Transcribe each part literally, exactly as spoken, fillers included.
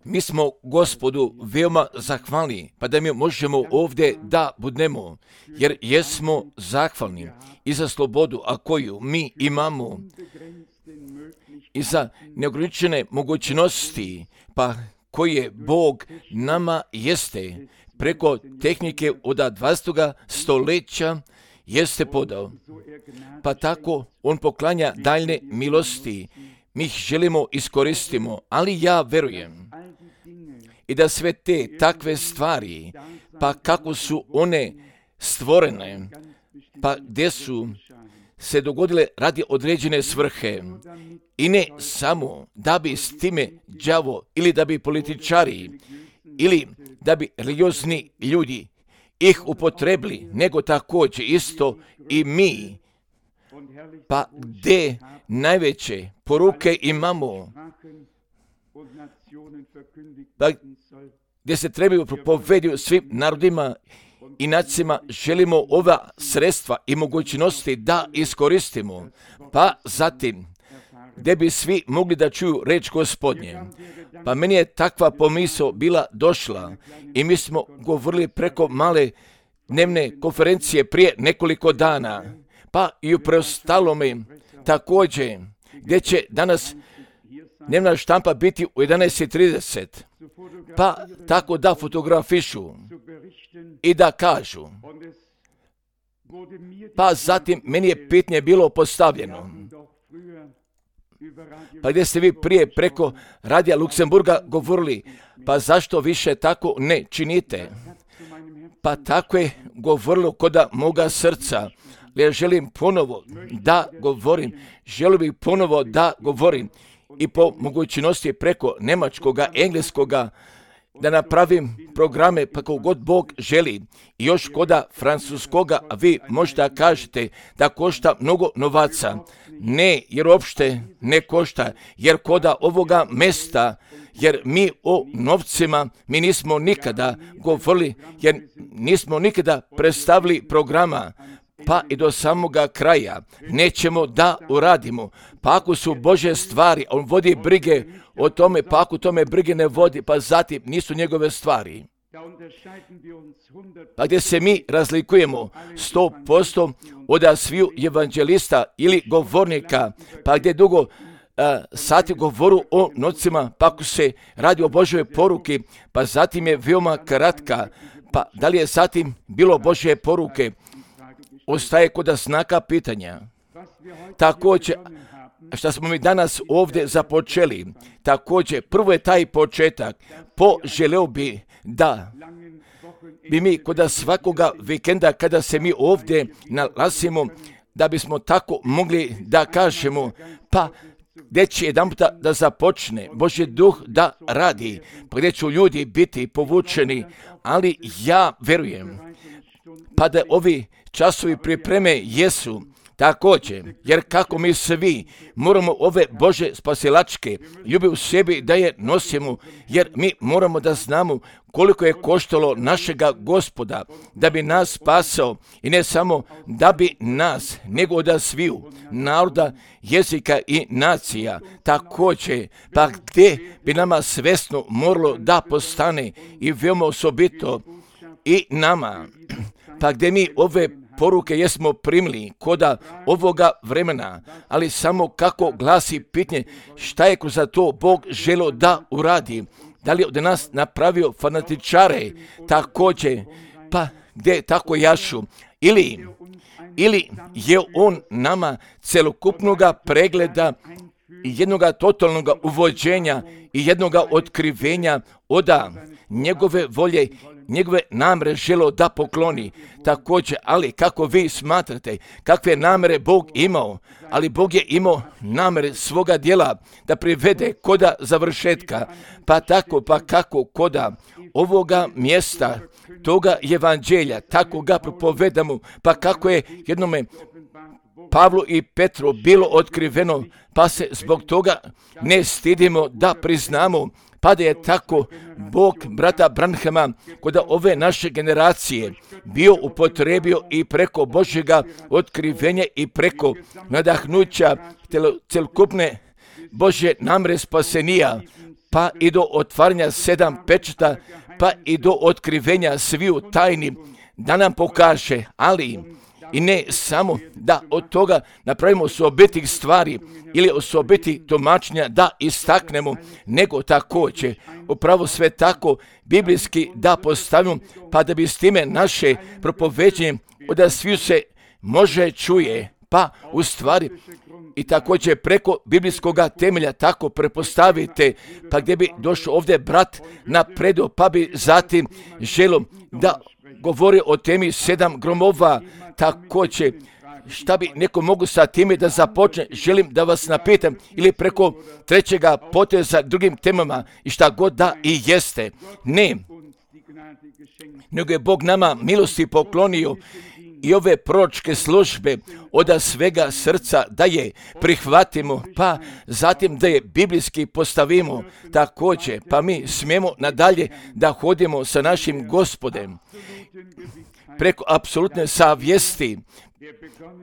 Mi smo Gospodu veoma zahvalni, pa da mi možemo ovdje da budemo, jer jesmo zahvalni i za slobodu, a koju mi imamo, i za neograničene mogućnosti, pa koje Bog nama jeste preko tehnike od dvadesetog stoljeća jeste podao. Pa tako on poklanja daljne milosti. Mi ih želimo iskoristimo, ali ja verujem i da sve te takve stvari, pa kako su one stvorene, pa gdje su se dogodile radi određene svrhe i ne samo da bi s time đavo ili da bi političari ili da bi religiozni ljudi ih upotrebili, nego također isto i mi, pa gdje najveće poruke imamo, pa gdje se trebaju propovediti svim narodima i nacijama, želimo ova sredstva i mogućnosti da iskoristimo, pa zatim gdje bi svi mogli da čuju reč Gospodnje. Pa meni je takva pomisao bila došla i mi smo govorili preko male dnevne konferencije prije nekoliko dana, pa i u preostalome također, gdje će danas dnevna štampa biti u jedanaest i trideset, pa tako da fotografišu i da kažu. Pa zatim meni je pitanje bilo postavljeno, pa gdje ste vi prije preko radija Luksemburga govorili, pa zašto više tako ne činite? Pa tako je govorilo kod moga srca. Ja želim ponovo da govorim, želim bih ponovo da govorim i po mogućnosti preko njemačkoga, engleskoga, da napravim programe pa kako god Bog želi. I još koda francuskoga, a vi možda kažete da košta mnogo novaca. Ne, jer uopšte ne košta, jer koda ovoga mesta, jer mi o novcima, mi nismo nikada govorili, jer nismo nikada predstavili programa, pa i do samoga kraja nećemo da uradimo. Pa ako su Božje stvari, on vodi brige o tome, pa ako tome brige ne vodi, pa zatim nisu njegove stvari. Pa gdje se mi razlikujemo sto posto od sviju evanđelista ili govornika, pa gdje dugo uh, sati govoru o nocima, pa ako se radi o Božjoj poruki, pa zatim je veoma kratka, pa da li je zatim bilo Božje poruke, ostaje kod znaka pitanja. Također, što smo mi danas ovdje započeli, također, prvo je taj početak, poželeo bi da bi mi kod svakoga vikenda, kada se mi ovdje nalazimo, da bismo tako mogli da kažemo, pa gdje će jedan puta da započne Božji duh da radi, pa gdje će ljudi biti povučeni, ali ja verujem, pa da ovi časovi pripreme jesu također, jer kako mi svi moramo ove Bože spasilačke ljubi u sebi da je nosimo, jer mi moramo da znamo koliko je koštalo našega Gospoda da bi nas spasao i ne samo da bi nas, nego da sviju naroda, jezika i nacija također, pa gdje bi nama svesno moralo da postane i veoma osobito i nama, pa gdje mi ove poruke jesmo primili koda ovoga vremena, ali samo kako glasi pitanje šta je kroz to Bog želio da uradi. Da li je od nas napravio fanatičare također, pa gdje tako jašu, ili, ili je on nama celokupnoga pregleda i jednoga totalnoga uvođenja i jednoga otkrivenja oda njegove volje, njegove namere želo da pokloni također, ali kako vi smatrate, kakve namere Bog imao, ali Bog je imao namere svoga djela da privede koda završetka, pa tako, pa kako koda ovoga mjesta, toga evanđelja, tako ga propovedamo, pa kako je jednome Pavlu i Petru bilo otkriveno, pa se zbog toga ne stidimo da priznamo, pa da je tako Bog brata Branhama kod ove naše generacije bio upotrebio i preko Božjega otkrivenja i preko nadahnuća celokupne Božje namre spasenija, pa i do otvaranja sedam pečata, pa i do otkrivenja sviju tajni, da nam pokaže, ali i ne samo da od toga napravimo osobitih stvari ili osobitih tumačenja da istaknemo, nego također upravo sve tako biblijski da postavimo, pa da bi s time naše propoveđenje da sviju se može čuje, pa u stvari i također preko biblijskog temelja tako prepostavite, pa gdje bi došao ovdje brat napredo, pa bi zatim želio da govori o temi sedam gromova, također šta bi neko mogu sa time da započne, želim da vas napitam, ili preko trećega poteza drugim temama i šta god da i jeste. Ne, nego je Bog nama milosti poklonio i ove proročke službe od svega srca da je prihvatimo, pa zatim da je biblijski postavimo također, pa mi smijemo nadalje da hodimo sa našim Gospodem preko apsolutne savjesti,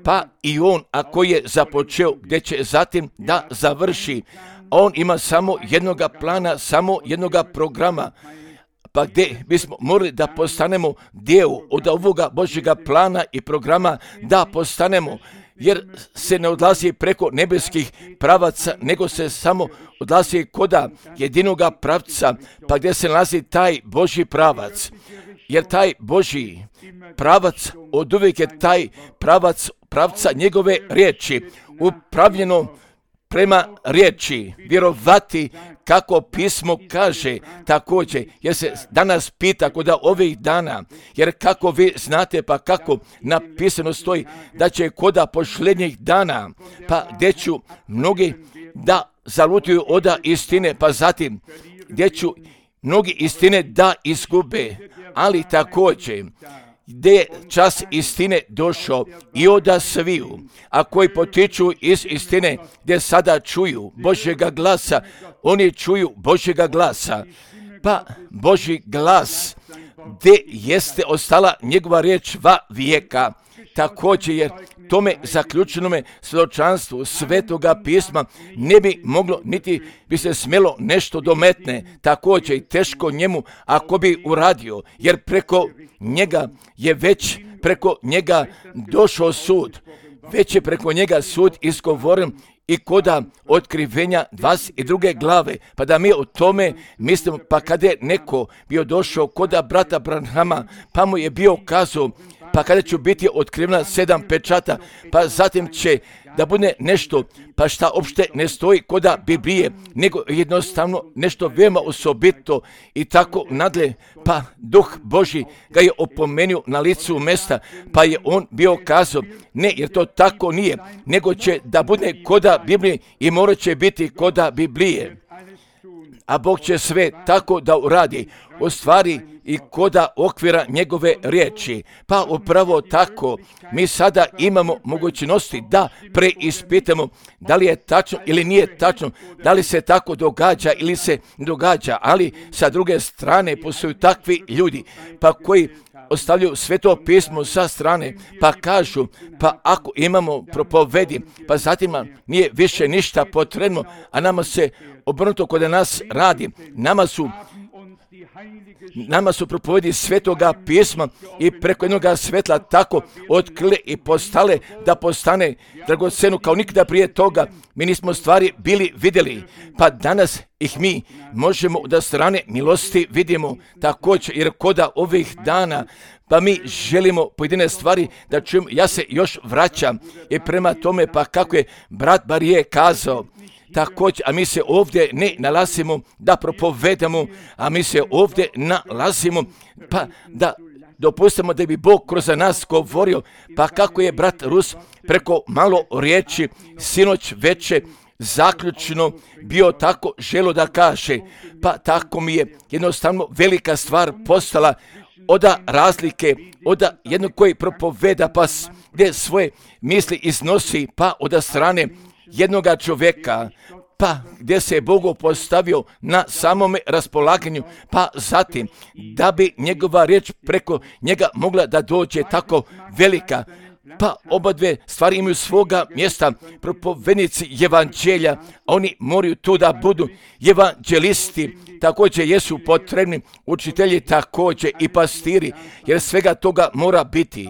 pa i on ako je započeo gdje će zatim da završi, on ima samo jednoga plana, samo jednoga programa, pa gdje bismo morali da postanemo dio od ovoga Božjega plana i programa, da postanemo, jer se ne odlazi preko nebeskih pravaca, nego se samo odlazi koda jedinoga pravca, pa gdje se nalazi taj Božji pravac, jer taj Božji pravac od uvijek je taj pravac pravca njegove riječi, upravljeno prema riječi, vjerovati kako pismo kaže također, jer se danas pita kod ovih dana, jer kako vi znate, pa kako napisano stoji da će koda posljednjih dana, pa gdje ću mnogi da zalutuju od istine, pa zatim gdje ću mnogi istine da izgube, ali također gdje je čas istine došao i od sviju, a koji potiču iz istine, gdje sada čuju Božjega glasa, oni čuju Božjega glasa, pa Božji glas, gdje jeste ostala njegova riječ va vijeka, također jer tome zaključenome svjedočanstvu Svetoga pisma ne bi moglo, niti bi se smjelo nešto dometne, također i teško njemu ako bi uradio, jer preko njega je već preko njega došao sud, već je preko njega sud izgovoren i koda otkrivenja dvadeset druge glave, pa da mi o tome mislimo, pa kada je neko bio došao koda brata Branhama, pa mu je bio kazao, pa kada će biti otkrivena sedam pečata, pa zatim će da bude nešto, pa šta uopšte ne stoji koda Biblije, nego jednostavno nešto veoma osobito i tako nadalje, pa Duh Božji ga je opomenuo na licu mesta, pa je on bio kazao, ne, jer to tako nije, nego će da bude koda Biblije i morat će biti koda Biblije. A Bog će sve tako da uradi, u stvari i koda okvira njegove riječi. Pa upravo tako, mi sada imamo mogućnosti da preispitamo da li je tačno ili nije tačno, da li se tako događa ili se ne događa, ali sa druge strane postoju takvi ljudi, pa koji ostavljaju Sveto pismo sa strane, pa kažu, pa ako imamo propovedi, pa zatim nije više ništa potrebno, a nama se obrnuto kod nas radi, nama su Nama su propovedi Svetoga pisma i preko jednoga svetla tako otkrile i postale da postane dragoceno kao nikada prije toga. Mi nismo stvari bili vidjeli, pa danas ih mi možemo da strane milosti vidimo također, jer koda ovih dana, pa mi želimo pojedine stvari da čujemo. Ja se još vraćam i prema tome, pa kako je brat Barije kazao, također, a mi se ovdje ne nalazimo da propovedamo, a mi se ovdje nalazimo pa da dopustimo da bi Bog kroz nas govorio, pa kako je brat Rus preko malo riječi sinoć veče zaključno bio tako želo da kaže, pa tako mi je jednostavno velika stvar postala od razlike, od jednog koji propoveda pa gdje svoje misli iznosi, pa od strane jednoga čovjeka, pa gdje se je Bogu postavio na samome raspolaganju, pa zatim da bi njegova riječ preko njega mogla da dođe tako velika, Pa oba dve stvari imaju svoga mjesta, propovednici evanđelja, oni moraju tu da budu evanđelisti, također jesu potrebni učitelji, također i pastiri, jer svega toga mora biti.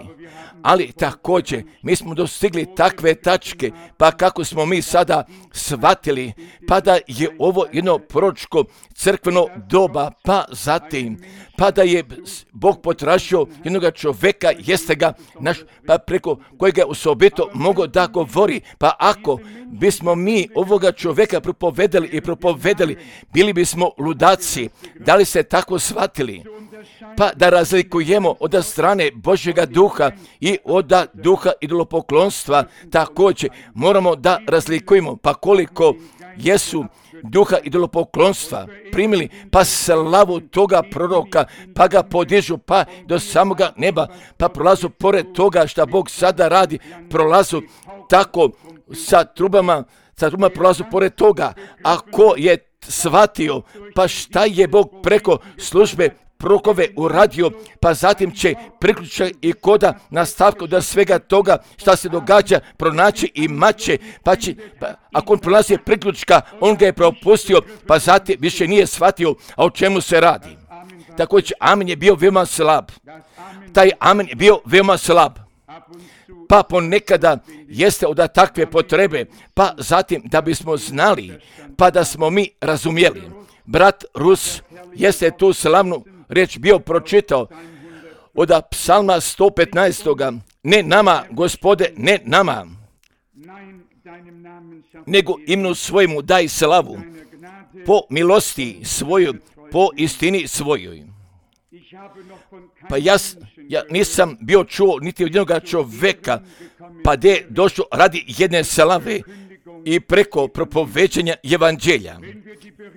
Ali također mi smo dostigli takve tačke, pa kako smo mi sada shvatili, pa da je ovo jedno proročko crkveno doba, pa zatim, pa da je Bog potražio jednog čovjeka, jeste ga naš, pa preko kojega je osobito mogao da govori, pa ako bismo mi ovoga čovjeka propovedali i propovedali, bili bismo ludaci. Da li ste tako shvatili? Pa da razlikujemo od strane Božjega duha i od duha idolopoklonstva, također moramo da razlikujemo, pa koliko jesu duha idolopoklonstva primili, pa slavu toga proroka, pa ga podižu, pa do samoga neba, pa prolazu pored toga što Bog sada radi, prolazu tako sa trubama, sa trubama prolazu pored toga. Ako je shvatio, pa šta je Bog preko službe prorokove uradio, pa zatim će priključak i koda nastavka do svega toga šta se događa pronaći i maće, pa će, pa, ako on prolazi priključka, on ga je propustio, pa zatim više nije shvatio, a o čemu se radi. Također, amen je bio veoma slab. Taj amen je bio veoma slab. Pa ponekada jeste od takve potrebe, pa zatim da bismo znali, pa da smo mi razumjeli. Brat Rus jeste tu slavnu riječ bio pročitao od psalma sto petnaest. Ne nama, Gospode, ne nama, nego imenu svojemu daj slavu, po milosti svojoj, po istini svojoj. Pa ja, ja nisam bio čuo niti od jednog čovjeka, pa gdje je došlo radi jedne slave i preko propoveđenja evanđelja.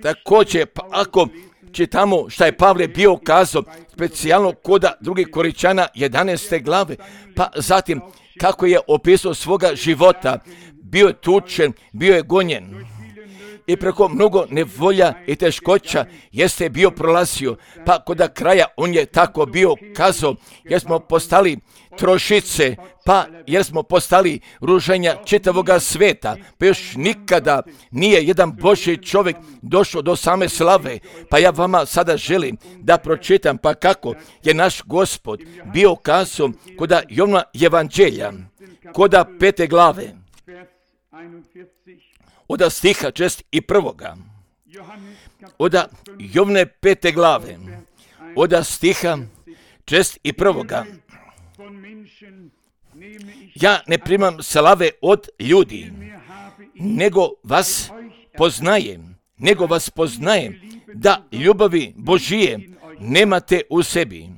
Također, pa ako čitamo šta je Pavle bio kazao, specijalno koda drugih Koričana jedanaeste glave, pa zatim kako je opisao svoga života, bio je tučen, bio je gonjen i preko mnogo nevolja i teškoća jeste bio prolazio, pa kod kraja on je tako bio kazao, jer smo postali trošice, pa jer smo postali ruženja čitavoga sveta, pa još nikada nije jedan Božji čovjek došao do same slave. Pa ja vama sada želim da pročitam, pa kako je naš Gospod bio kazao kod Jovna evanđelja, kod pete glave, od stiha čest i prvoga, od Jovne pete glave, od stiha čest i prvoga. Ja ne primam slave od ljudi, nego vas poznajem, nego vas poznajem, da ljubavi Božije nemate u sebi.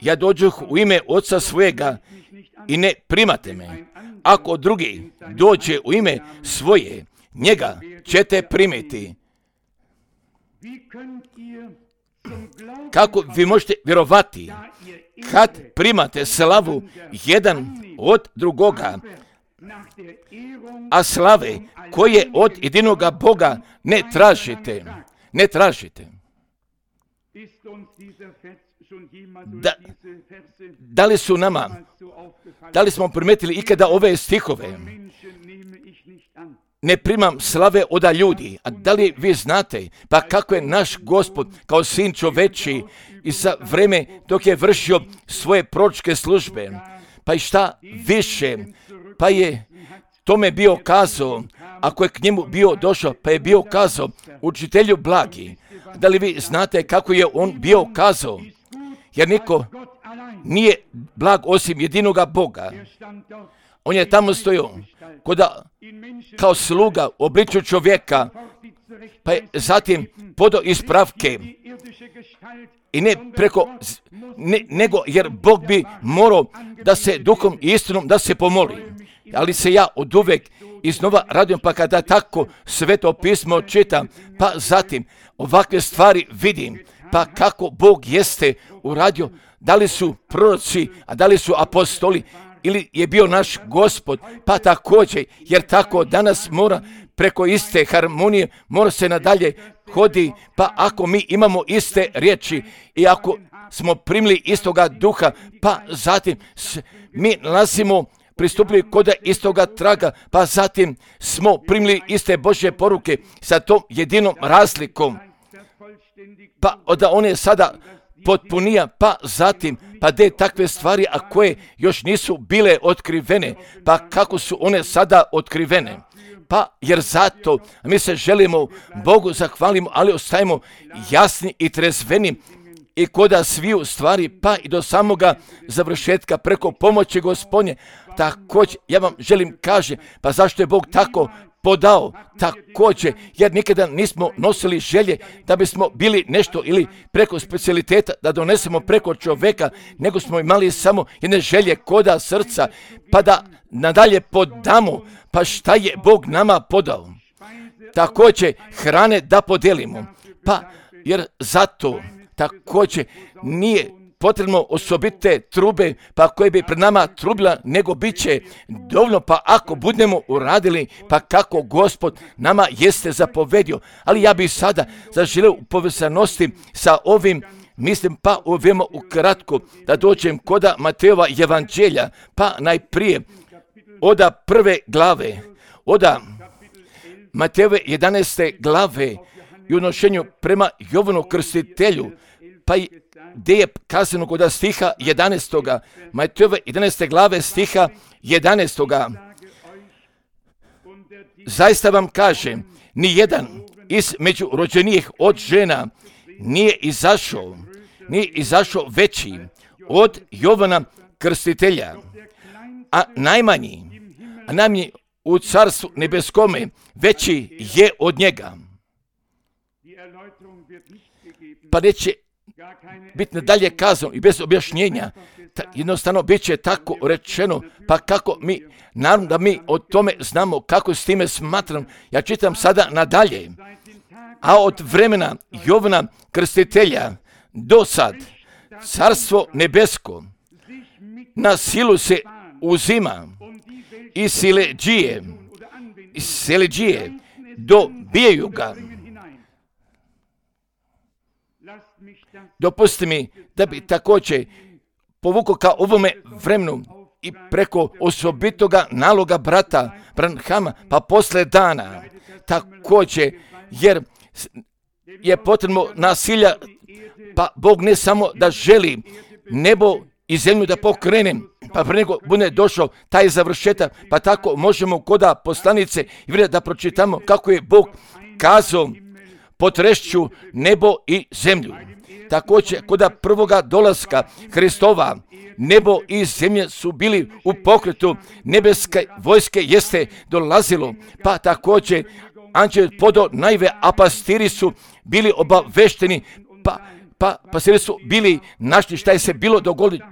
Ja dođuh u ime Oca svojega i ne primate me. Ako drugi dođe u ime svoje, njega ćete primiti. Kako vi možete vjerovati kad primate slavu jedan od drugoga, a slave koje od jedinoga Boga ne tražite, ne tražite. Da, da li su nama, da li smo primetili ikada ove stihove? Ne primam slave od ljudi. A da li vi znate, pa kako je naš Gospod kao sin čoveči i za vreme dok je vršio svoje proročke službe, pa i šta više, pa je tome bio kazao, ako je k njemu bio došao, pa je bio kazao, učitelju blagi. Da li vi znate kako je on bio kazao? Jer niko nije blag osim jedinoga Boga. On je tamo stojao koda, kao sluga u obličju čovjeka, pa je zatim podao ispravke i ne preko, ne, nego jer Bog bi morao da se duhom i istinom da se pomoli. Ali se ja od uvek iznova radujem, pa kada tako Sveto pismo čitam, pa zatim ovakve stvari vidim, pa kako Bog jeste uradio, da li su proroci, a da li su apostoli, ili je bio naš Gospod, pa također, jer tako danas mora preko iste harmonije, mora se nadalje hodi, pa ako mi imamo iste riječi i ako smo primili istoga duha, pa zatim mi nalazimo pristupili kod istoga traga, pa zatim smo primili iste Božje poruke sa tom jedinom razlikom, pa da on je sada potpunija, pa zatim, pa de takve stvari, a koje još nisu bile otkrivene, pa kako su one sada otkrivene? Pa jer zato mi se želimo Bogu zahvalimo, ali ostajemo jasni i trezveni i koda sviju stvari, pa i do samoga završetka preko pomoći Gospodnje. Također, ja vam želim kaže, pa zašto je Bog tako podao? Također, jer nikada nismo nosili želje da bismo bili nešto ili preko specijaliteta, da donesemo preko čovjeka, nego smo imali samo jedne želje koda srca, pa da nadalje podamo, pa šta je Bog nama podao? Također, hrane da podijelimo, pa jer zato također nije potrebno osobite trube, pa koje bi pred nama trubila, nego bit će dovoljno, pa ako budemo uradili, pa kako Gospod nama jeste zapovedio. Ali ja bih sada zaželio u povezanosti sa ovim, mislim, pa uvijemo ukratko da dođem koda Matejova evanđelja, pa najprije oda prve glave, oda Matejove jedanaeste glave i unošenju prema Jovanu Krstitelju, pa i gdje je kazano kod stiha jedanaestoga, Matejove jedanaeste glave stiha jedanaestoga. Zaista vam kažem, ni jedan između rođenijih od žena nije izašao, nije izašao veći od Jovana Krstitelja, a najmanji, a najmanji u carstvu nebeskome veći je od njega. Pa neće biti nadalje kazano i bez objašnjenja, ta, jednostavno bit će tako rečeno, pa kako mi, naravno da mi o tome znamo, kako s time smatram, ja čitam sada nadalje, a od vremena Jovana Krstitelja do sad, carstvo nebesko na silu se uzima i sileđije, i sileđije dobijaju ga. Dopusti mi da bi također povukao ka ovome vremenu i preko osobitoga naloga brata Branhama, pa posle dana također, jer je potrebno nasilja, pa Bog ne samo da želi nebo i zemlju da pokrene, pa pre nego bude došao taj završetak, pa tako možemo koda poslanice i vidjeti da pročitamo kako je Bog kazao potrešću nebo i zemlju. Također, koda prvoga dolaska Hristova, nebo i zemlje su bili u pokretu, nebeske vojske jeste dolazilo, pa također anđel podo najve, a pastiri su bili obavešteni, pa Pa pastiri su bili našli šta je se bilo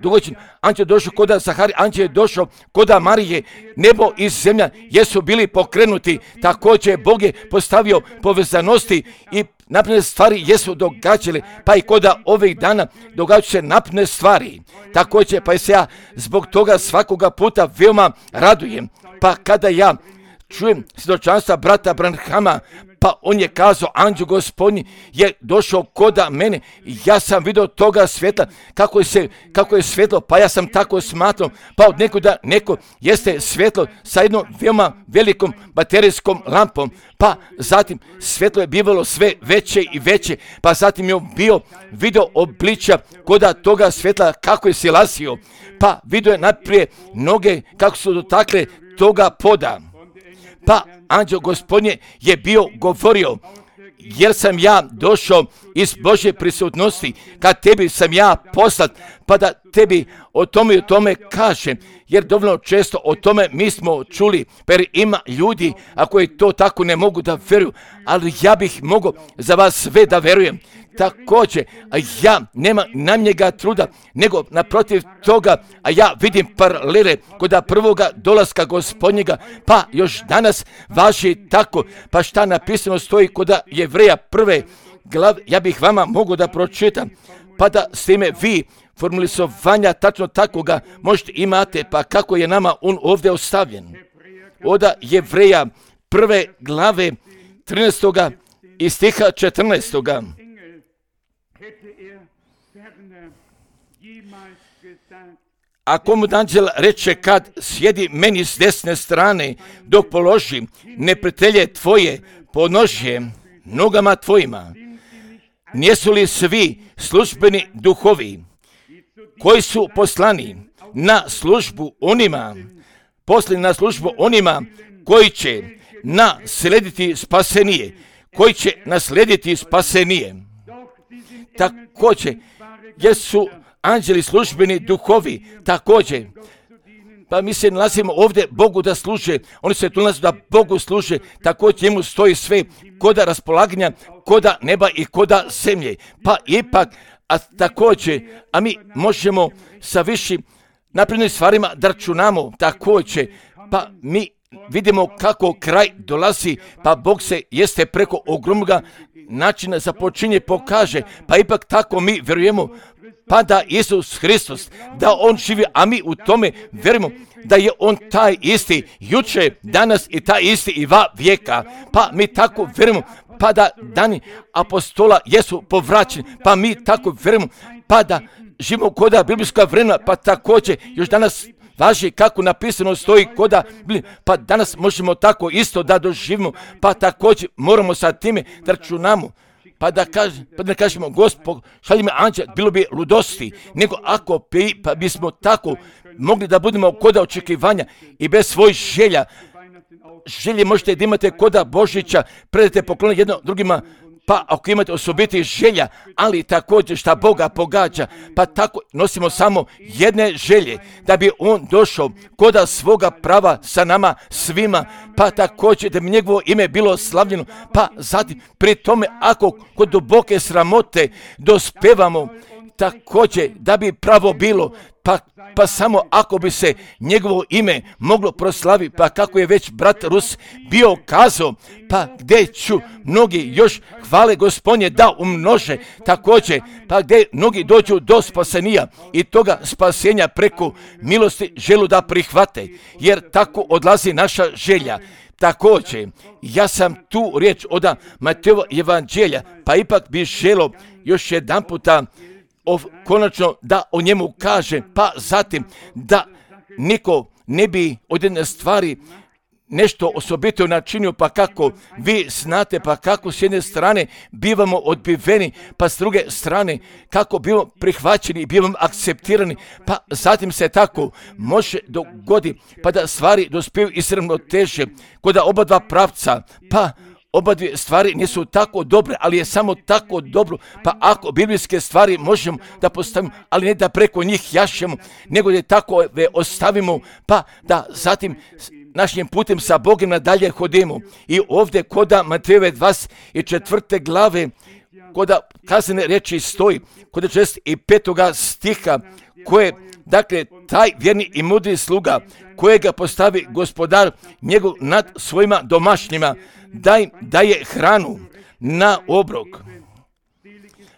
dogođeno. Anđel došao koda Zahari, anđel je došao koda Marije, nebo i zemlja jesu bili pokrenuti. Također Bog je postavio povezanosti i napredne stvari jesu događale, pa i koda ovih dana događaju se napredne stvari. Također pa se ja zbog toga svakoga puta veoma radujem. Pa kada ja čujem svjedočanstva brata Branhama, pa on je kazao, anđeo Gospodnji je došao koda mene, ja sam vidio toga svjetla, kako je, se, kako je svjetlo, pa ja sam tako smatrao, pa od nekuda neko jeste svjetlo sa jednom veoma velikom baterijskom lampom, pa zatim svjetlo je bivalo sve veće i veće, pa zatim je bio vidio obličja koda toga svjetla kako je silazio, pa vidio je najprije noge kako su dotakle toga poda. Pa anđeo Gospodnje je bio govorio, jer sam ja došao iz Božje prisutnosti, kad tebi sam ja poslat, pa da tebi o tome i o tome kažem, jer dovoljno često o tome mi smo čuli, jer ima ljudi, a koji to tako ne mogu da veruju, ali ja bih mogao za vas sve da verujem. Također, a ja nema nam njega truda, nego naprotiv toga, a ja vidim paralele koda prvoga dolaska Gospodnjega, pa još danas važi tako, pa šta napisano stoji koda Jevreja prve glave, ja bih vama mogu da pročitam, pa da s time vi formulizovanja tačno takoga možete imate, pa kako je nama on ovdje ostavljen. Oda Jevreja prve glave trinaestoga i stiha četrnaestoga. A komu anđel reče kad sjedi meni s desne strane, dok položi neprijatelje tvoje podnožje nogama tvojima. Nijesu li svi službeni duhovi koji su poslani na službu onima, poslani na službu onima koji će naslediti spasenije, koji će naslediti spasenije. Također, jer su anđeli službeni duhovi, također. Pa mi se nalazimo ovdje Bogu da služe, oni se tu nalaze da Bogu služe, također njemu stoji sve koda raspolaganja, koda neba i koda zemlje. Pa ipak, a također, a mi možemo sa višim naprednim stvarima da računamo također, pa mi vidimo kako kraj dolazi, pa Bog se jeste preko ogromnoga načina započinje pokaže, pa ipak tako mi vjerujemo, pa da Isus Hristos, da On živi, a mi u tome vjerujemo da je On taj isti juče, danas i taj isti i va vijeka, pa mi tako vjerujemo, pa da dani apostola jesu povraćeni, pa mi tako vjerujemo, pa da živimo koda biblijska vremena, pa također još danas važi kako napisano stoji koda, pa danas možemo tako isto da doživimo, pa također moramo sa time da računamo. Pa da, kaž, pa da kažemo, Gospod, šalji me anđel, bilo bi ludosti, nego ako bi, pa bismo tako mogli da budemo koda očekivanja i bez svojih želja. Želje možete da imate koda Božića, predate poklone jedno drugima, pa ako imate osobiti želja, ali također šta Boga pogađa, pa tako nosimo samo jedne želje, da bi On došao koda svoga prava sa nama svima, pa također da bi njegovo ime bilo slavljeno, pa zatim pri tome ako kod duboke sramote dospevamo, također da bi pravo bilo, pa, pa samo ako bi se njegovo ime moglo proslaviti, pa kako je već brat Rus bio kazao, pa gdje ću mnogi još hvale Gospodnje da umnože, također, pa gdje mnogi dođu do spasenija i toga spasenja preko milosti želu da prihvate, jer tako odlazi naša želja. Također, ja sam tu riječ od Matejova evanđelja, pa ipak bi želo još jedan puta O, konačno da o njemu kaže, pa zatim da niko ne bi od jedne stvari nešto osobito načinio, pa kako vi znate, pa kako s jedne strane bivamo odbiveni, pa s druge strane kako bivamo prihvaćeni i bivamo akceptirani, pa zatim se tako može dogodi, pa da stvari dospiju ispravno teže kod oba dva pravca, pa oba dvije stvari nisu tako dobre, ali je samo tako dobro, pa ako biblijske stvari možemo da postavimo, ali ne da preko njih jašemo, nego da tako ostavimo, pa da zatim našim putem sa Bogom nadalje hodimo. I ovdje koda Matejove dvadeset četvrte glave, koda kaznene riječi stoji, koda šezdeset petoga stiha, koje, dakle, taj vjerni i mudri sluga, kojega postavi gospodar njegov nad svojima domašnjima, da im daje hranu na obrok.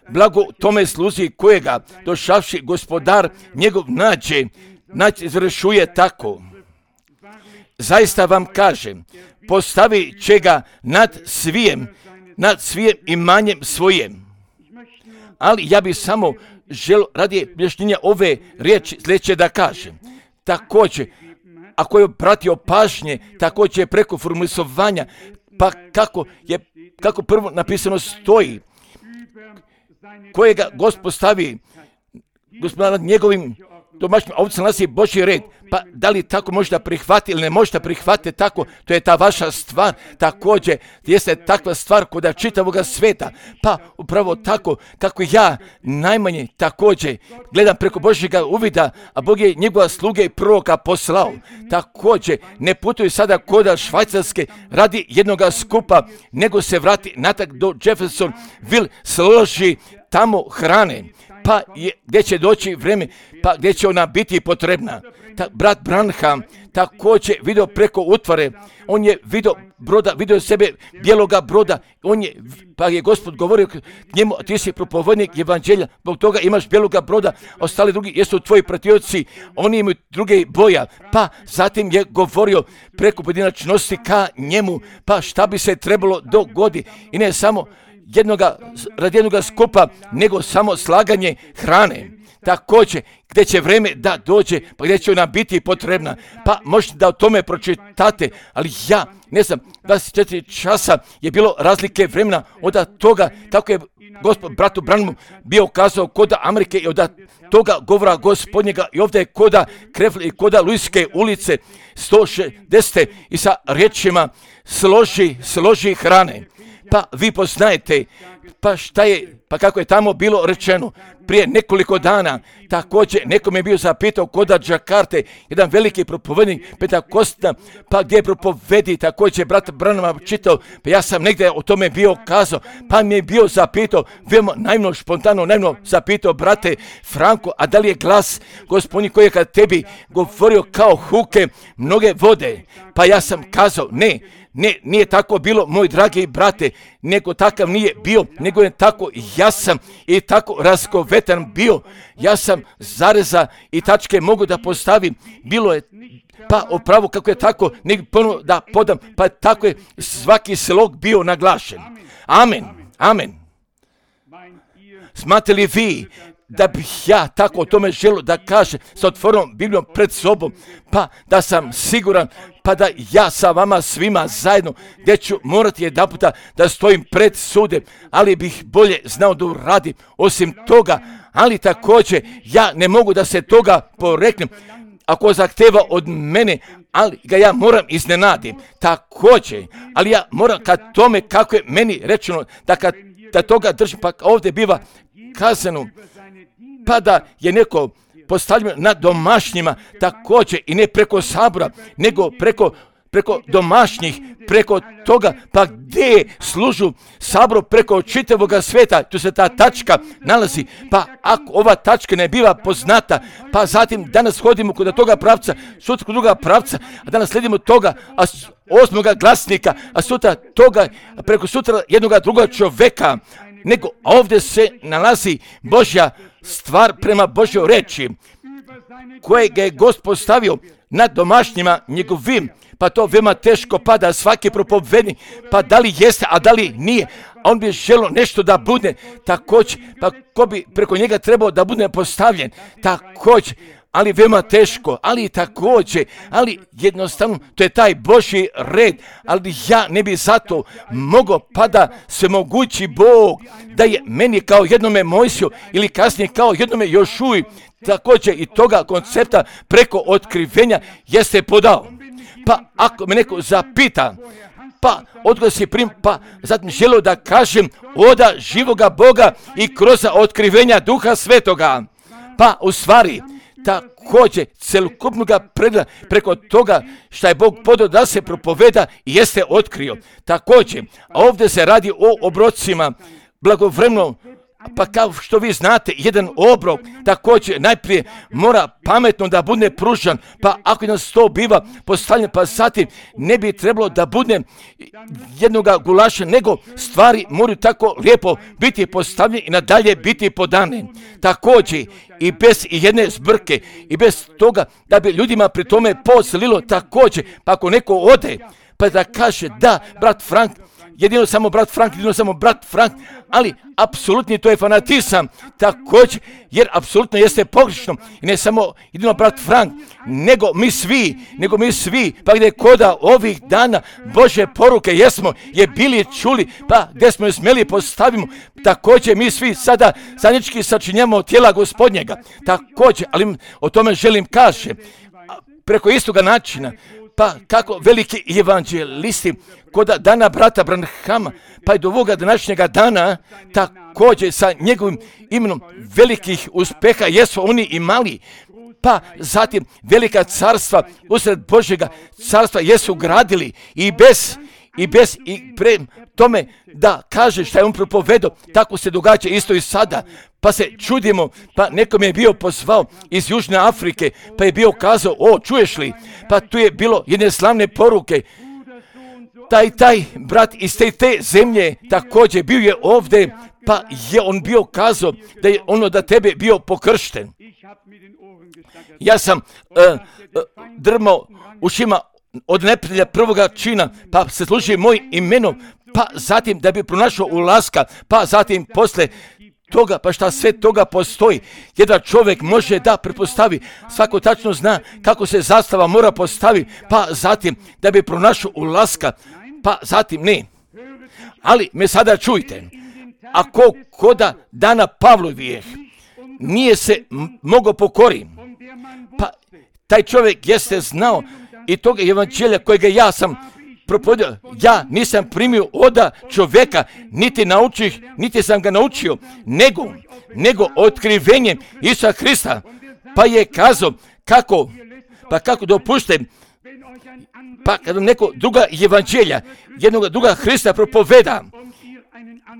Blago tome sluzi kojega došavši gospodar njegov nađe, nađe izvršuje tako. Zaista vam kažem, postavi će ga nad svijem, nad svijem imanjem svojem. Ali ja bih samo želio radi objašnjenja ove riječi sljedeće da kažem. Također, ako je pratio pažnje, također je preko formulisovanja, pa kako je, kako prvo napisano stoji, kojega Gospod stavi, Gospod nad njegovim domaćim ovcama nalazi Božji red, pa da li tako možda prihvati ili ne možda prihvati tako, to je ta vaša stvar, također jeste takva stvar koda čitavoga sveta, pa upravo tako kako ja najmanje također gledam preko Božjega uvida, a Bog je njegova sluge i proroka poslao, također ne putuju sada koda Švajcarske radi jednoga skupa, nego se vrati natak do Jeffersonville, složi tamo hrane, pa je, gdje će doći vrijeme, pa gdje će ona biti potrebna. Ta, brat Branham također vidio preko utvare, on je vidio broda, vidio sebe bijeloga broda, on je, pa je Gospod govorio k njemu, ti si propovednik evanđelja, zbog toga imaš bijeloga broda, ostali drugi jesu tvoji pratioci, oni imaju druge boja, pa zatim je govorio preko pojedinačnosti ka njemu, pa šta bi se trebalo dogoditi i ne samo jednoga, radi jednoga skupa, nego samo slaganje hrane. Također, gdje će vrijeme da dođe, pa gdje će ona biti potrebna. Pa možete da o tome pročitate, ali ja, ne znam, dvadeset četiri časa je bilo razlike vremena od toga, kako je Gospod bratu Branhamu bio kazao koda Amerike i od toga govora Gospodnjega i ovdje je koda Krefle i koda Luiske ulice sto šezdeset i sa riječima složi, složi hrane. Pa vi poznajete, pa šta je, pa kako je tamo bilo rečeno prije nekoliko dana, također nekom je bio zapitao koda Džakarte, jedan veliki propovednik Pentakostina, pa gdje propovedi, također brat Branham čitao, pa ja sam negdje o tome bio kazao, pa mi je bio zapitao, veoma naivno, špontano, naivno zapitao brate Franko, a da li je glas Gospodnji koji je kad tebi govorio kao huke mnoge vode, pa ja sam kazao, ne, Ne, nije tako bilo, moj dragi brate, nego takav nije bio, nego je tako jasan i tako raskovetan bio. Ja sam zareza i tačke mogu da postavim, bilo je pa upravo kako je tako, nek ponovno da podam, pa tako je svaki slog bio naglašen. Amen, amen. Smatrate li vi da bih ja tako o tome želio da kažem sa otvorenom Biblijom pred sobom, pa da sam siguran, pa da ja sa vama svima zajedno, gdje ću morati jedan puta da stojim pred sudem, ali bih bolje znao da uradim osim toga, ali također ja ne mogu da se toga poreknem, ako zahteva od mene, ali ga ja moram iznenadim, također, ali ja moram kad tome kako je meni rečeno, da kad da toga držim, pa ovdje biva kazano, pa da je neko postavljeno na domašnjima također i ne preko sabora, nego preko, preko domašnjih, preko toga, pa gdje služu saboru preko čitavoga svijeta, tu se ta tačka nalazi, pa ako ova tačka ne biva poznata, pa zatim danas hodimo kod toga pravca, sutra kod druga pravca, a danas slijedimo toga, a osmoga glasnika, a sutra toga, a preko sutra jednoga druga čoveka, nego ovdje se nalazi Božja stvar prema Božjoj reči, kojeg je Gospod postavio nad domašnjima njegovim, pa to veoma teško pada svaki propovednik, pa da li jeste, a da li nije, a on bi želio nešto da bude također, pa ko bi preko njega trebao da bude postavljen, također, ali veoma teško, ali također, ali jednostavno, to je taj Božji red, ali ja ne bi zato mogao, pa da se mogući Bog, da je meni kao jednome Mojsiju ili kasnije kao jednome Jošuji, također i toga koncepta preko otkrivenja jeste podao. Pa ako me neko zapita, pa odgovor si prim, pa zatim želio da kažem oda živoga Boga i kroz otkrivenja Duha Svetoga, pa u stvari, također celokupnoga pregleda preko toga što je Bog podao da se propoveda i jeste otkrio. Također, a ovdje se radi o obrocima blagovremeno, pa kao što vi znate, jedan obrok također najprije mora pametno da bude pružan, pa ako nas to biva postavljen, pa zatim ne bi trebalo da bude jednoga gulaša, nego stvari moraju tako lijepo biti postavljene i nadalje biti podane. Također i bez jedne zbrke i bez toga da bi ljudima pri tome poslilo također, pa ako neko ode, pa da kaže da, brat Frank, jedino samo brat Frank, jedino samo brat Frank, ali apsolutni to je fanatizam također, jer apsolutno jeste pogrešno i ne samo jedino brat Frank, nego mi svi, nego mi svi, pa gdje koda ovih dana Bože poruke jesmo je bili čuli, pa gdje smo je smjeli postavimo, također mi svi sada zajednički sačinjamo tijela Gospodnjega, također, ali o tome želim kaže, preko istoga načina, pa kako veliki evanđelisti kod dana brata Branhama, pa i do ovoga današnjega dana, također sa njegovim imenom velikih uspeha jesu oni imali, pa zatim velika carstva usred Božjega carstva jesu gradili i bez i bez i pre tome da kaže šta je on propovedao, tako se događa isto i sada. Pa se čudimo, pa nekom je bio pozvao iz Južne Afrike, pa je bio kazao, o, čuješ li, pa tu je bilo jedne slavne poruke, taj taj brat iz te, te zemlje također bio je ovdje, pa je on bio kazao da je ono da tebe bio pokršten. Ja sam uh, uh, drmao ušima od neprijatelja prvoga čina, pa se služi mojim imenom, pa zatim da bi pronašao ulaska, pa zatim posle toga, pa šta sve toga postoji. Jedan čovjek može da pretpostavi, svako tačno zna kako se zastava mora postaviti, pa zatim da bi pronašao ulaska, pa zatim ne. Ali me sada čujte, ako koda dana Pavlovijeh nije se m- mogao pokoriti, pa taj čovjek jeste znao i toga evanđelja kojega ja sam propovedio, ja nisam primio oda čovjeka, niti naučih, niti sam ga naučio, nego, nego otkrivenjem Isusa Hrista, pa je kazao kako, pa kako dopuštem, pa kad neko druga evanđelja, jednog druga Hrista propoveda,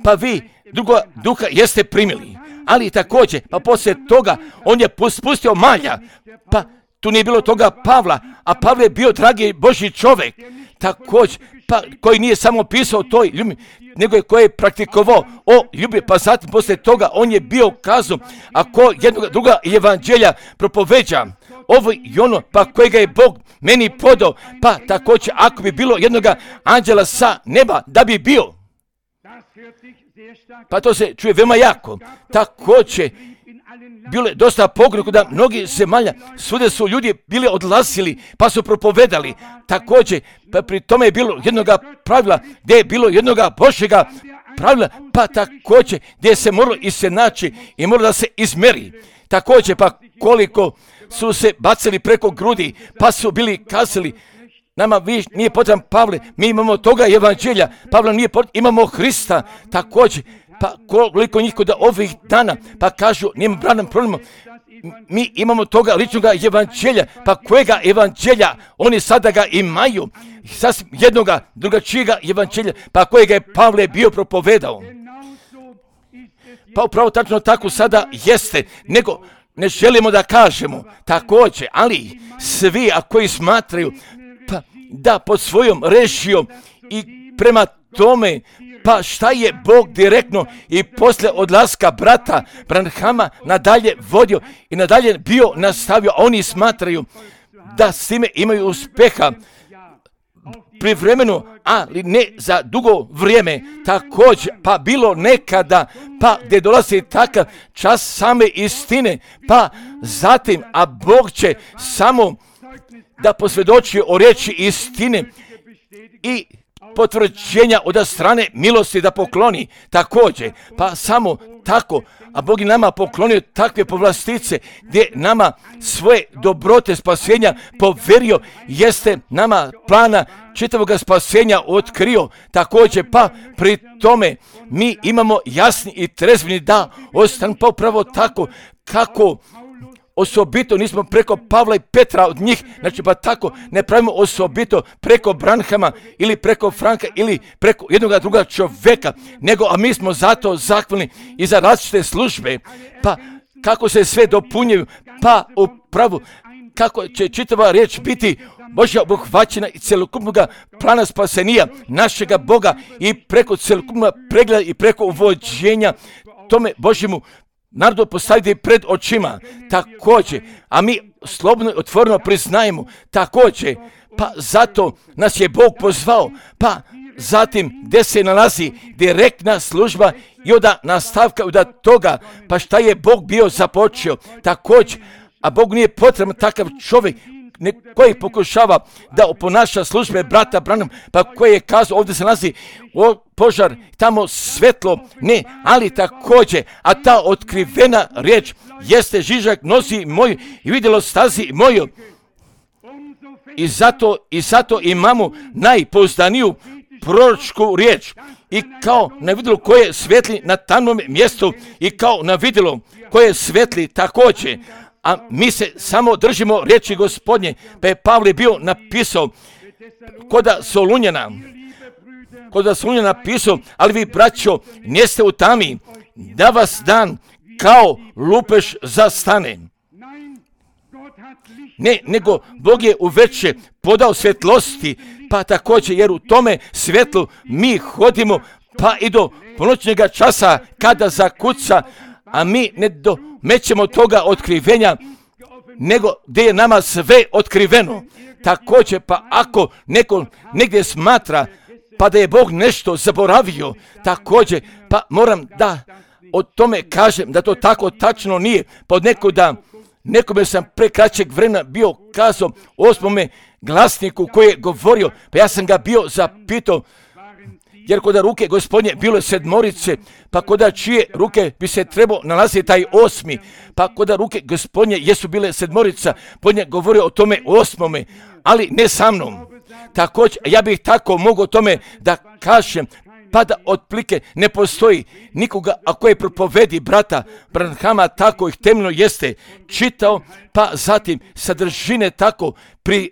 pa vi druga duha jeste primili, ali također, pa poslije toga on je spustio malja, pa tu nije bilo toga Pavla, a Pavle je bio dragi Božji čovjek, također, pa koji nije samo pisao toj ljubi, nego je koji je praktikovao o ljubi, pa zatim poslije toga on je bio kazao, ako jednog druga evanđelja propoveđa, ovo i ono, pa kojega je Bog meni podao, pa također ako bi bilo jednoga anđela sa neba, da bi bio, pa to se čuje veoma jako, također, bilo je dosta pogreha da mnogi zemalja, svuda su ljudi bili odlazili, pa su propovedali. Također, pa pri tome je bilo jednoga pravila, gdje je bilo jednoga Božjega pravila, pa također gdje se moralo i se naći i moralo da se izmeri. Također, pa koliko su se bacili preko grudi, pa su bili kazali, nama vi nije potreban Pavle, mi imamo toga evanđelja, Pavla nije potreban, imamo Hrista, također, pa koliko njih kod ovih dana, pa kažu, nema branom problema, mi imamo toga ličnog evanđelja, pa kojega evanđelja, oni sada ga imaju, sasvim jednoga drugačijega evanđelja, pa kojega je Pavle bio propovedao. Pa upravo tačno tako sada jeste, nego ne želimo da kažemo također, ali svi a koji smatraju pa da pod svojom režijom i prema tome, pa šta je Bog direktno i posle odlaska brata Branhama nadalje vodio i nadalje bio nastavio, oni smatraju da s time imaju uspeha privremeno, ali ne za dugo vrijeme, također, pa bilo nekada, pa gdje dolazi takav čas same istine, pa zatim, a Bog će samo da posvjedoči o riječi istine i potvrđenja od strane milosti da pokloni također, pa samo tako, a Bog je nama poklonio takve povlastice gdje nama svoje dobrote spasenja poverio, jeste nama plana čitavog spasenja otkrio također, pa pri tome mi imamo jasni i trezveni da ostanu pa upravo tako kako osobito nismo preko Pavla i Petra od njih, znači pa tako ne pravimo osobito preko Branhama ili preko Franka ili preko jednoga druga čovjeka, nego a mi smo zato zahvalni i za različite službe, pa kako se sve dopunjuju, pa upravo kako će čitava riječ biti Božja obuhvaćena i celokupnog plana spasenija našega Boga i preko celokupnog pregleda i preko uvođenja tome Božjemu narodu postaviti pred očima, također, a mi slobodno i otvoreno priznajemo, također, pa zato nas je Bog pozvao, pa zatim gdje se nalazi direktna služba i onda nastavka od toga, pa šta je Bog bio započeo, također, a Bog nije potreban takav čovjek koji pokušava da oponaša službe brata Branham, pa koji je kazao, ovdje se nalazi o, požar, tamo svetlo, ne, ali također, a ta otkrivena riječ jeste žižak nosi moju i vidjelo stazi moju. I zato, i zato imamo najpouzdaniju proročku riječ. I kao na vidjelo koje svetli na tamnom mjestu i kao na vidjelo koje svetli također. A mi se samo držimo riječi Gospodnje, pa je Pavle bio napisao koda Solunjana, kod vas on je napisao, ali vi, braćo, niste u tami, da vas dan kao lupež zastane. Ne, nego Bog je uveče podao svjetlosti, pa također jer u tome svjetlu mi hodimo, pa i do ponoćnjega časa kada zakuca, a mi ne domećemo toga otkrivenja, nego gdje je nama sve otkriveno. Također, pa ako neko negdje smatra pa da je Bog nešto zaboravio, također, pa moram da o tome kažem da to tako tačno nije. Pod nekuda, nekome sam pre kraćeg vremena bio kazao osmome glasniku koji je govorio, pa ja sam ga bio zapitao, jer kod ruke Gospodnje bilo je sedmorice, pa kod čije ruke bi se trebao nalaziti taj osmi, pa kod ruke Gospodnje jesu bile sedmorica, pod nje govorio o tome osmome, ali ne sa mnom. Također, ja bih tako mogao tome da kažem, pa da otplike ne postoji nikoga, ako je propovedi brata Branhama tako ih temeljno jeste čitao, pa zatim sadržine tako pri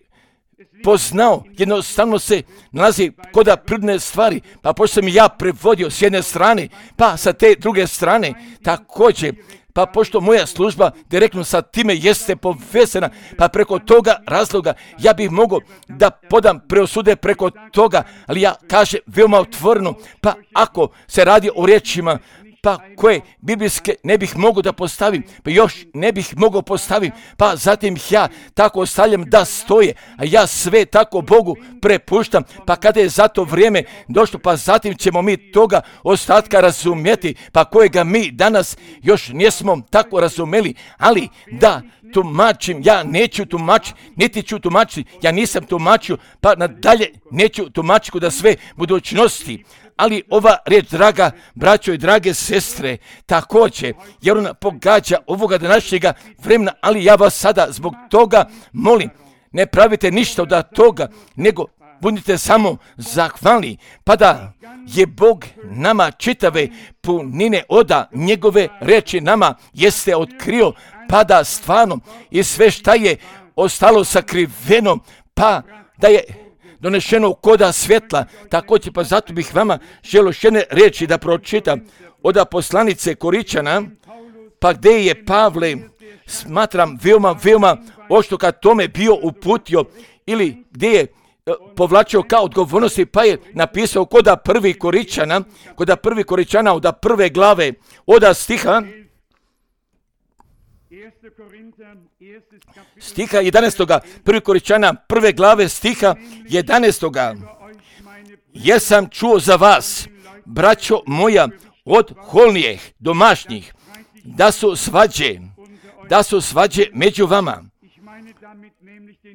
poznao, jednostavno se nalazi koda prirodne stvari, pa pošto sam ja prevodio s jedne strane, pa sa te druge strane, također, pa pošto moja služba direktno sa time jeste povezana, pa preko toga razloga ja bih mogao da podam preosude preko toga, ali ja kažem veoma otvoreno, pa ako se radi o riječima, pa koje biblijske ne bih mogao da postavim, pa još ne bih mogao postavim, pa zatim ja tako ostavljam da stoje, a ja sve tako Bogu prepuštam, pa kada je za to vrijeme došlo, pa zatim ćemo mi toga ostatka razumjeti, pa kojega mi danas još nismo tako razumeli, ali da tumačim, ja neću tumačiti, niti ću tumačiti, ja nisam tumačio, pa nadalje neću tumačiti da sve budućnosti. Ali ova riječ, draga braćo i drage sestre, također, jer ona pogađa ovoga današnjega vremena, ali ja vas sada zbog toga molim, ne pravite ništa od toga, nego budite samo zahvalni, pa da je Bog nama čitave punine oda njegove reči nama jeste otkrio, pa da stvarno i sve šta je ostalo sakriveno, pa da je donešeno koda svjetla. Također, pa zato bih vama želio još jedne riječi da pročitam od poslanice Koričana, pa gdje je Pavle, smatram veoma, veoma ošto kad tome bio uputio, ili gdje je povlačio kao odgovornosti, pa je napisao koda prvi Koričana, koda prvi Koričana od prve glave, od stiha, stiha jedanaestoga, prvi Koričana, prve glave stiha jedanaestoga. Jesam čuo za vas, braćo moja, od holnijeh, domašnjih, da su svađe, da su svađe među vama.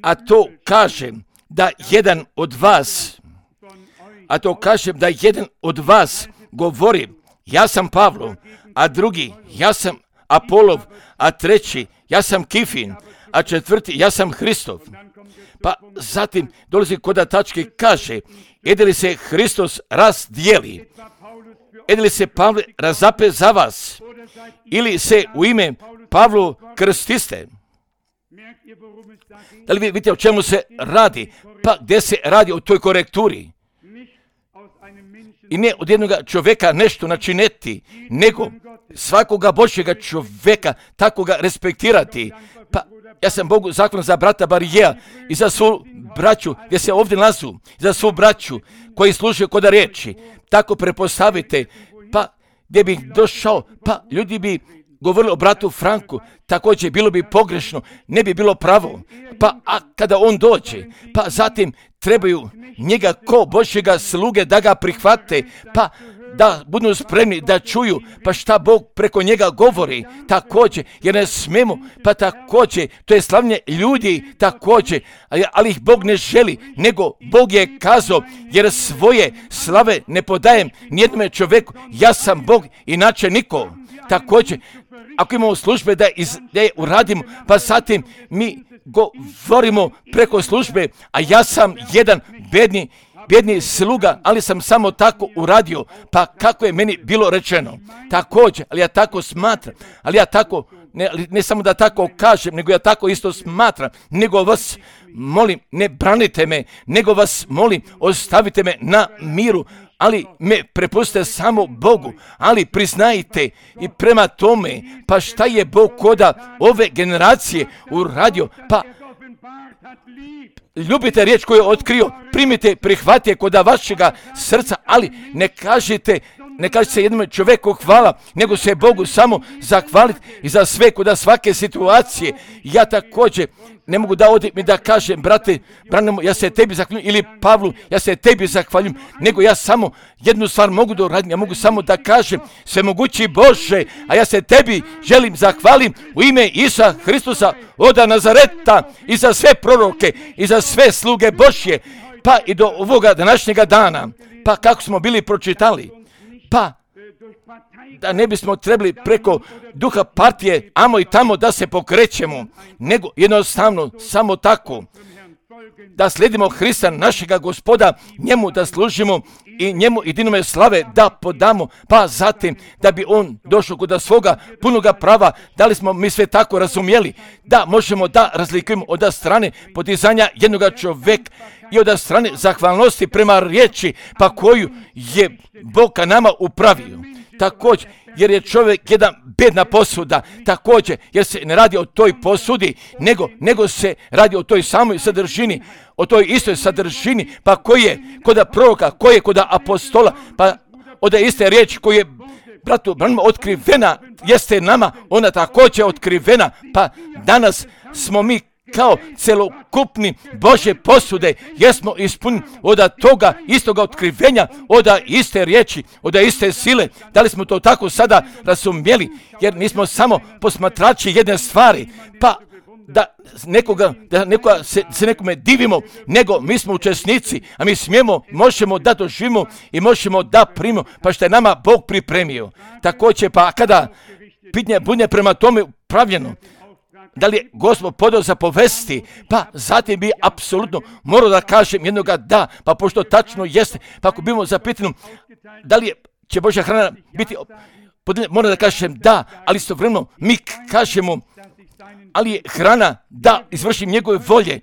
A to kažem da jedan od vas, a to kažem da jedan od vas govori, ja sam Pavlo, a drugi, ja sam Apolov, a treći, ja sam Kifin, a četvrti, ja sam Hristov. Pa zatim dolazi koda tačke, kaže, ede li se Hristos razdijeli, ede li se Pavle razape za vas, ili se u ime Pavlu krstiste. Da li vi vidite o čemu se radi? Pa gdje se radi o toj korekturi? I ne od jednog čovjeka nešto načineti, nego svakoga Božjega čovjeka tako ga respektirati. Pa ja sam Bogu zahvalan za brata Barijeja i za svu braću gdje se ovdje nalazu, za svu braću koji slušaju koda riječi. Tako prepostavite, pa gdje bih došao, pa ljudi bi govorili o bratu Franku, također bilo bi pogrešno, ne bi bilo pravo. Pa a kada on dođe, pa zatim trebaju njega ko Božjega sluge da ga prihvate, pa da budu spremni da čuju pa šta Bog preko njega govori, također, jer ne smemo, pa također, to je slavljenje ljudi, također, ali ih Bog ne želi, nego Bog je kazao, jer svoje slave ne podajem nijednome čovjeku, ja sam Bog, inače niko. Također, ako imamo službe da, iz, da je uradimo, pa zatim mi govorimo preko službe, a ja sam jedan bedni, bedni sluga, ali sam samo tako uradio, pa kako je meni bilo rečeno. Također, ali ja tako smatram, ali ja tako, ne, ne samo da tako kažem, nego ja tako isto smatram, nego vas molim, ne branite me, nego vas molim, ostavite me na miru, ali me prepustite samo Bogu, ali priznajte i prema tome, pa šta je Bog koda ove generacije uradio, pa ljubite riječ koju je otkrio, primite, prihvatite koda vašega srca, ali ne kažete, ne kažete se jednom čovjeku hvala, nego se Bogu samo zahvaliti i za sve koda svake situacije. Ja također ne mogu da odim i da kažem, brate, Branimo, ja se tebi zahvaljujem, ili Pavlu, ja se tebi zahvaljujem, nego ja samo jednu stvar mogu da uradim, ja mogu samo da kažem, svemogući Bože, a ja se tebi želim zahvalim u ime Isusa Hristusa od Nazareta i za sve proroke i za sve sluge Božje, pa i do ovoga današnjega dana, pa kako smo bili pročitali, pa da ne bismo trebali preko duha partije amo i tamo da se pokrećemo, nego jednostavno samo tako da slijedimo Hrista našega Gospoda, njemu da služimo i njemu jedinome slave da podamo, pa zatim da bi on došao kod svoga punoga prava. Da li smo mi sve tako razumjeli da možemo da razlikujemo od strane podizanja jednoga čovjeka i od strane zahvalnosti prema riječi pa koju je Bog ka nama upravio. Također, jer je čovjek jedna bedna posuda, također, jer se ne radi o toj posudi, nego, nego se radi o toj samoj sadržini, o toj istoj sadržini, pa koji je koda proroka, koji je koda apostola, pa od iste riječi koji je bratu Branimo otkrivena, jeste nama, ona također otkrivena, pa danas smo mi kao celokupni Božje posude, jesmo ispunjeni od toga istoga otkrivenja, od iste riječi, od iste sile. Da li smo to tako sada razumjeli, jer nismo samo posmatrači jedne stvari, pa da nekoga, da nekoga se, se nekome divimo, nego mi smo učesnici, a mi smijemo, možemo da doživimo i možemo da primimo, pa što je nama Bog pripremio. Također, pa kada pitanje bude prema tome upravljeno, da li je Gospod podao za povesti, pa zatim bi apsolutno morao da kažem jednoga da, pa pošto tačno jeste, pa ako bimo zapitano da li je, će Božja hrana biti podijeljena, moram da kažem da, ali istovremeno mi kažemo, ali je hrana da izvršim njegove volje,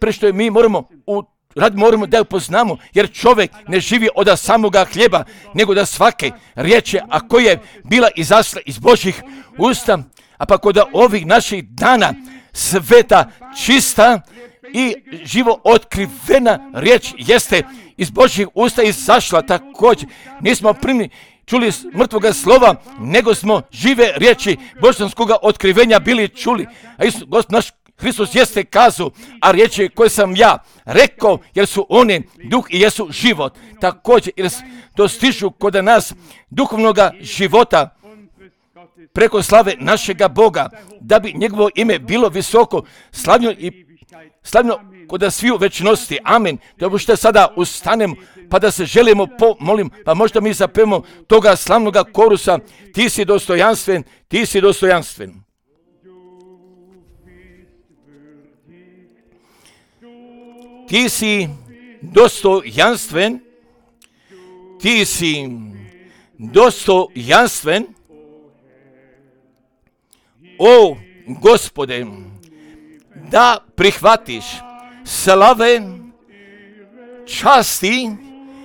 pre što je mi moramo u rad moramo da ju poznamo, jer čovjek ne živi od samoga hljeba, nego da svake riječi, a koja je bila izašla iz Božjih usta, a pa kod ovih naših dana sveta, čista i živo otkrivena riječ jeste iz Božjih usta izašla. Također nismo primili, čuli mrtvoga slova, nego smo žive riječi božanskoga otkrivenja bili čuli. A Isus, Gospod naš Hristos jeste kazao, a riječi koje sam ja rekao, jer su one duh i jesu život. Također, jer dostižu kod nas duhovnoga života preko slave našega Boga, da bi njegovo ime bilo visoko, slavno i slavno kod sviju večnosti. Amen. Dobro što sada ustanemo, pa da se želimo pomolim, pa možda mi zapevamo toga slavnoga korusa, ti si dostojanstven, ti si dostojanstven. Ti si dostojanstven, ti si dostojanstven, o Gospode, da prihvatiš slave, časti,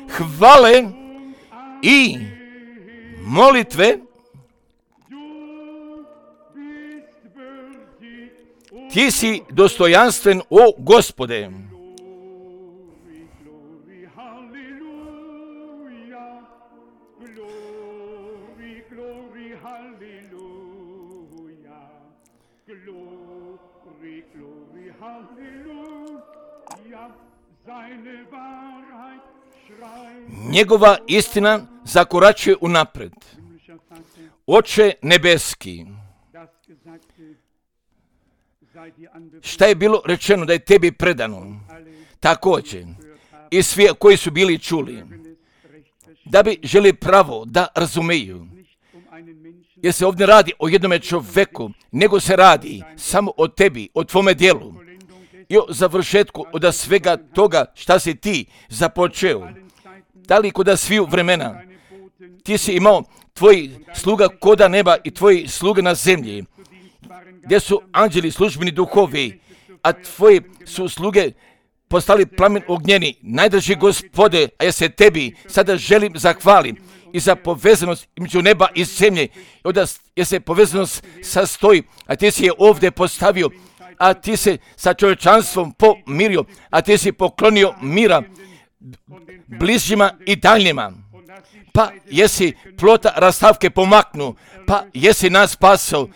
hvale i molitve. Ti si dostojanstven, o Gospode. Njegova istina zakoračuje unapred. Oče nebeski, šta je bilo rečeno da je tebi predano, također i svi koji su bili čuli, da bi želi pravo da razumeju, jer se ovdje radi o jednome čovjeku, nego se radi samo o tebi, o tvome dijelu i o završetku od svega toga šta si ti započeo. Da li kod sviju vremena ti si imao tvoji sluga koda neba i tvoji sluge na zemlji, gdje su anđeli službeni duhovi, a tvoji su sluge postali plamen ognjeni. Najdraži Gospode, a ja se tebi sada želim zahvalim i za povezanost između neba i zemlje. Onda je se povezanost sastoji, a ti si je ovdje postavio, a ti se sa čovječanstvom pomirio, a ti si poklonio mira bližnjima i daljnjima. Pa jesi plota rastavke pomaknu, pa jesi nas spasao,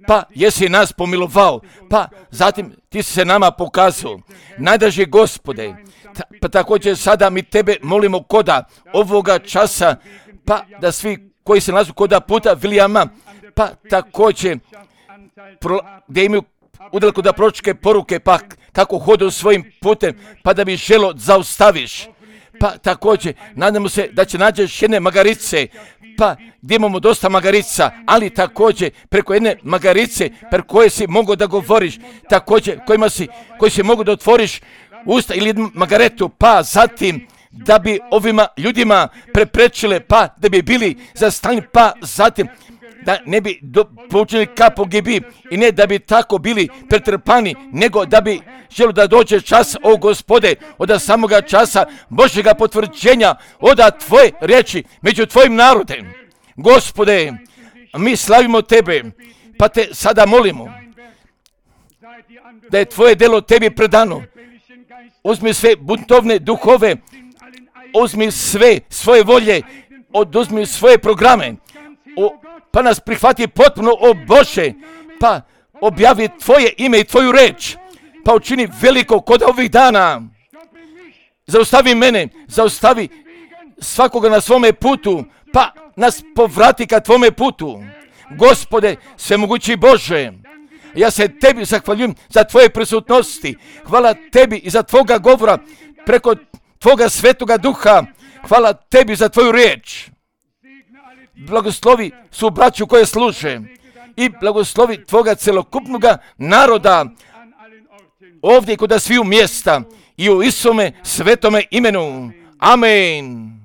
pa jesi nas pomilovao, pa zatim ti si se nama pokazao. Najdraži Gospode, ta, pa također sada mi tebe molimo koda ovoga časa, pa da svi koji se nalazu koda puta Vilijama, pa također pro, gdje imaju udaleko da proročke poruke, pa kako hodu svojim putem, pa da bi želo zaustaviš. Pa također, nadamo se da će nađeš jedne magarice, pa gdje imamo dosta magarica, ali također preko jedne magarice, preko koje si mogu da govoriš, također kojima si, koji si mogu da otvoriš usta ili jednu magaretu, pa zatim da bi ovima ljudima preprečile, pa da bi bili zastavljeni, pa zatim da ne bi poučili kapo gdje bi i ne da bi tako bili pretrpani, nego da bi želo da dođe čas, o Gospode, od samoga časa Božjega potvrđenja, od tvoje riječi među tvojim narodem. Gospode, mi slavimo tebe, pa te sada molimo da je tvoje delo tebi predano. Uzmi sve buntovne duhove, uzmi sve svoje volje, oduzmi svoje programe, o, pa nas prihvati potpuno, o Bože, pa objavi tvoje ime i tvoju reč, pa učini veliko kod ovih dana. Zaustavi mene, zaustavi svakoga na svome putu, pa nas povrati ka tvome putu. Gospode, svemogući Bože, ja se tebi zahvaljujem za tvoje prisutnosti. Hvala tebi i za tvoga govora preko tvoga svetoga duha. Hvala tebi za tvoju riječ. Blagoslovi su braću koje služe i blagoslovi tvoga celokupnog naroda ovdje kod sviju mjesta i u Isome svetome imenu. Amen.